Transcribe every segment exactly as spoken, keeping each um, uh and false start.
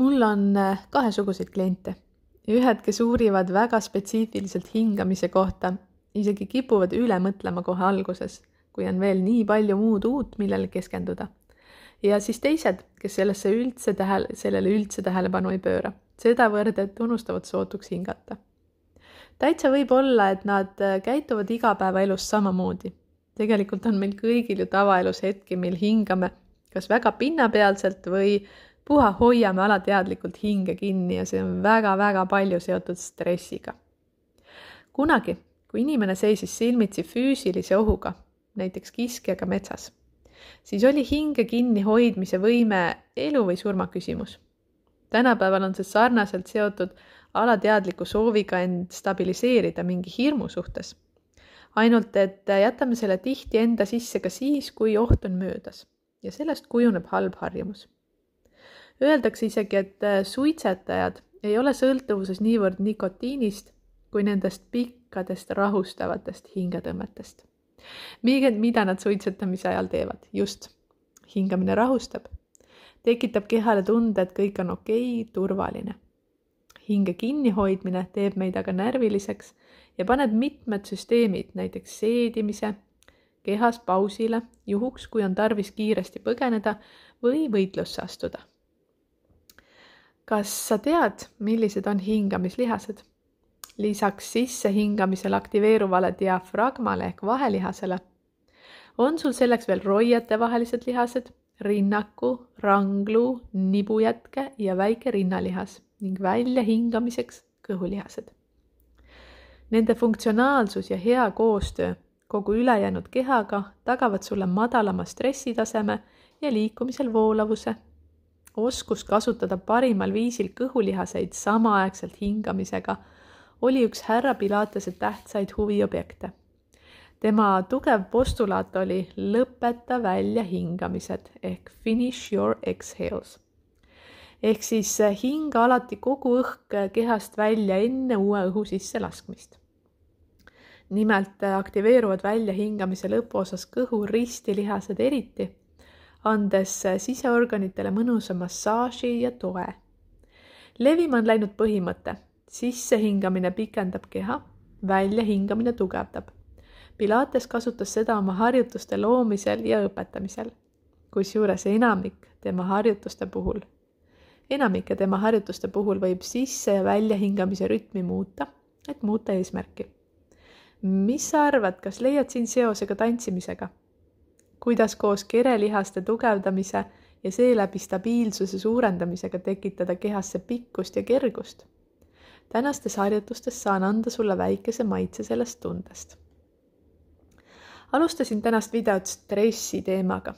Mul on kahesuguseid kliente. Ühed, kes uurivad väga spetsiifiliselt hingamise kohta, isegi kipuvad üle mõtlema kohe alguses, kui on veel nii palju muud uut, millele keskenduda. Ja siis teised, kes sellesse üldse tähele, sellele üldse tähelepanu ei pööra. Sedavõrd, et unustavad sootuks hingata. Täitsa võib olla, et nad käituvad igapäevaelus samamoodi. Tegelikult on meil kõigil ju tavaelus hetki, mil hingame kas väga pinnapealselt või puha hoiame alateadlikult hinge kinni ja see on väga-väga palju seotud stressiga. Kunagi, kui inimene seisis silmitsi füüsilise ohuga, näiteks kiskjaga metsas, siis oli hinge kinni hoidmise võime elu või surma küsimus. Tänapäeval on see sarnaselt seotud alateadliku sooviga end stabiliseerida mingi hirmu suhtes. Ainult, et jätame selle tihti enda sisse ka siis, kui oht on möödas ja sellest kujuneb halb harjumus. Öeldakse isegi, et suitsetajad ei ole sõltuvuses niivõrd nikotiinist kui nendest pikkadest rahustavatest hingetõmmetest. Mida nad suitsetamise ajal teevad? Just, hingamine rahustab. Tekitab kehale tunde, et kõik on okei, turvaline. Hinge kinnihoidmine teeb meid aga närviliseks ja paneb mitmed süsteemid, näiteks seedimise, kehas pausile, juhuks, kui on tarvis kiiresti põgeneda või võitlusse astuda. Kas sa tead, millised on hingamislihased? Lisaks sisse hingamisel aktiveeruvale diafragmale ehk vahelihasele on sul selleks veel roiete vahelised lihased, rinnaku, ranglu, nibujätke ja väike rinnalihas ning välja hingamiseks kõhulihased. Nende funktsionaalsus ja hea koostöö kogu ülejäänud kehaga tagavad sulle madalama stressitaseme ja liikumisel voolavuse. Oskus kasutada parimal viisil kõhulihaseid samaaegselt hingamisega oli üks härra Pilatese tähtsaid huviobjekte. Tema tugev postulaat oli lõpeta välja hingamised ehk finish your exhales. Ehk siis hinga alati kogu õhk kehast välja enne uue õhu sisse laskmist. Nimelt aktiveeruvad välja hingamise lõpuosas kõhu ristilihased eriti, andes siseorganitele mõnusa massaaži ja toe. Levima on läinud põhimõte. Sisse hingamine pikendab keha, välja hingamine tugevdab. Pilates kasutas seda oma harjutuste loomisel ja õpetamisel, kusjuures enamik tema harjutuste puhul. Enamike tema harjutuste puhul võib sisse ja välja hingamise rütmi muuta, et muuta eesmärki. Mis sa arvad, kas leiad siin seosega tantsimisega? Kuidas koos kerelihaste tugevdamise ja seeläbi stabiilsuse suurendamisega tekitada kehasse pikkust ja kergust? Tänastes harjutustes saan anda sulle väikese maitse sellest tundest. Alustasin tänast videot stressi teemaga.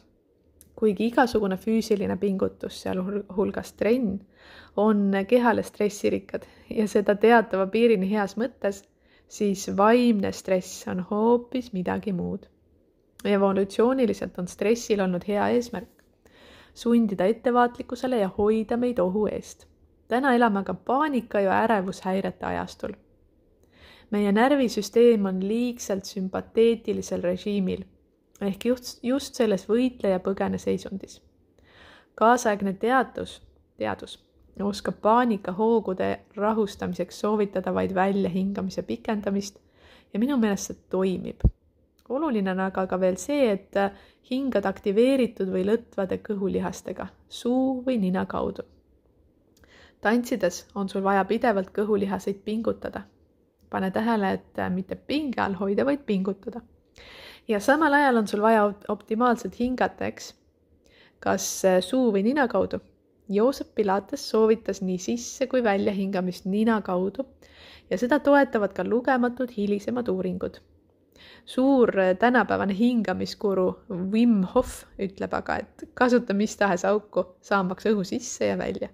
Kuigi igasugune füüsiline pingutus, sealhulgas trenn, on kehale stressirikkad ja seda teatava piirini heas mõttes, siis vaimne stress on hoopis midagi muud. Evolutsiooniliselt on stressil olnud hea eesmärk. Sundida ettevaatlikkusele ja hoida meid ohu eest. Täna elame aga paanika ja ärevushäirete ajastul. Meie närvisüsteem on liigselt sümpateetilisel režiimil, ehk just, just selles võitle ja põgene seisundis. Kaasaegne teadus, teadus oskab paanika hoogude rahustamiseks soovitada vaid välja hingamise pikendamist ja minu meelest see toimib. Oluline on aga ka veel see, et hingad aktiveeritud või lõtvade kõhulihastega, suu või nina kaudu. Tantsides on sul vaja pidevalt kõhulihaseid pingutada. Pane tähele, et mitte pinge all hoida, vaid pingutada. Ja samal ajal on sul vaja optimaalselt hingata, eks? Kas suu või nina kaudu? Joosep Pilates soovitas nii sisse kui välja hingamist nina kaudu ja seda toetavad ka lugematud hilisemad uuringud. Suur tänapäevane hingamiskuru Wim Hof ütleb aga, et kasuta mis tahes auku, saamaks õhu sisse ja välja.